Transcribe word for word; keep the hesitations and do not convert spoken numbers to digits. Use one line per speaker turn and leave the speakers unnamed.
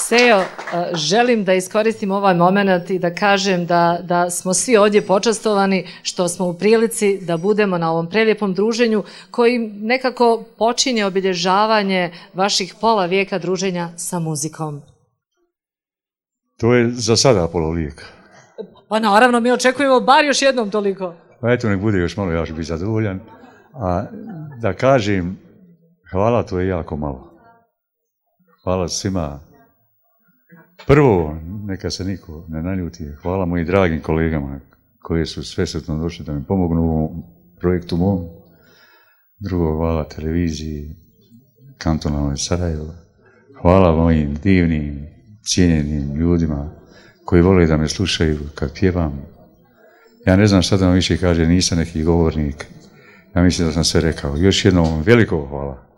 Sejo, želim da iskoristim ovaj moment i da kažem da, da smo svi ovdje počastovani što smo u prilici da budemo na ovom prelijepom druženju koji nekako počinje obilježavanje vaših pola vijeka druženja sa muzikom.
To je za sada pola vijeka.
Pa naravno, mi očekujemo bar još jednom toliko.
Pa eto, nek bude još malo, ja ću biti zadovoljan. A da kažem, hvala, to je jako malo. Hvala svima. Prvo, neka se niko ne naljuti, hvala mojim dragim kolegama koji su svesretno došli da mi pomognu u ovom projektu mom. Drugo, hvala televiziji kantonalnoj Sarajevo. Hvala mojim divnim, cijenjenim ljudima koji vole da me slušaju kad pjevam. Ja ne znam šta da vam više kaže, nisam neki govornik. Ja mislim da sam sve rekao. Još jednom veliko hvala.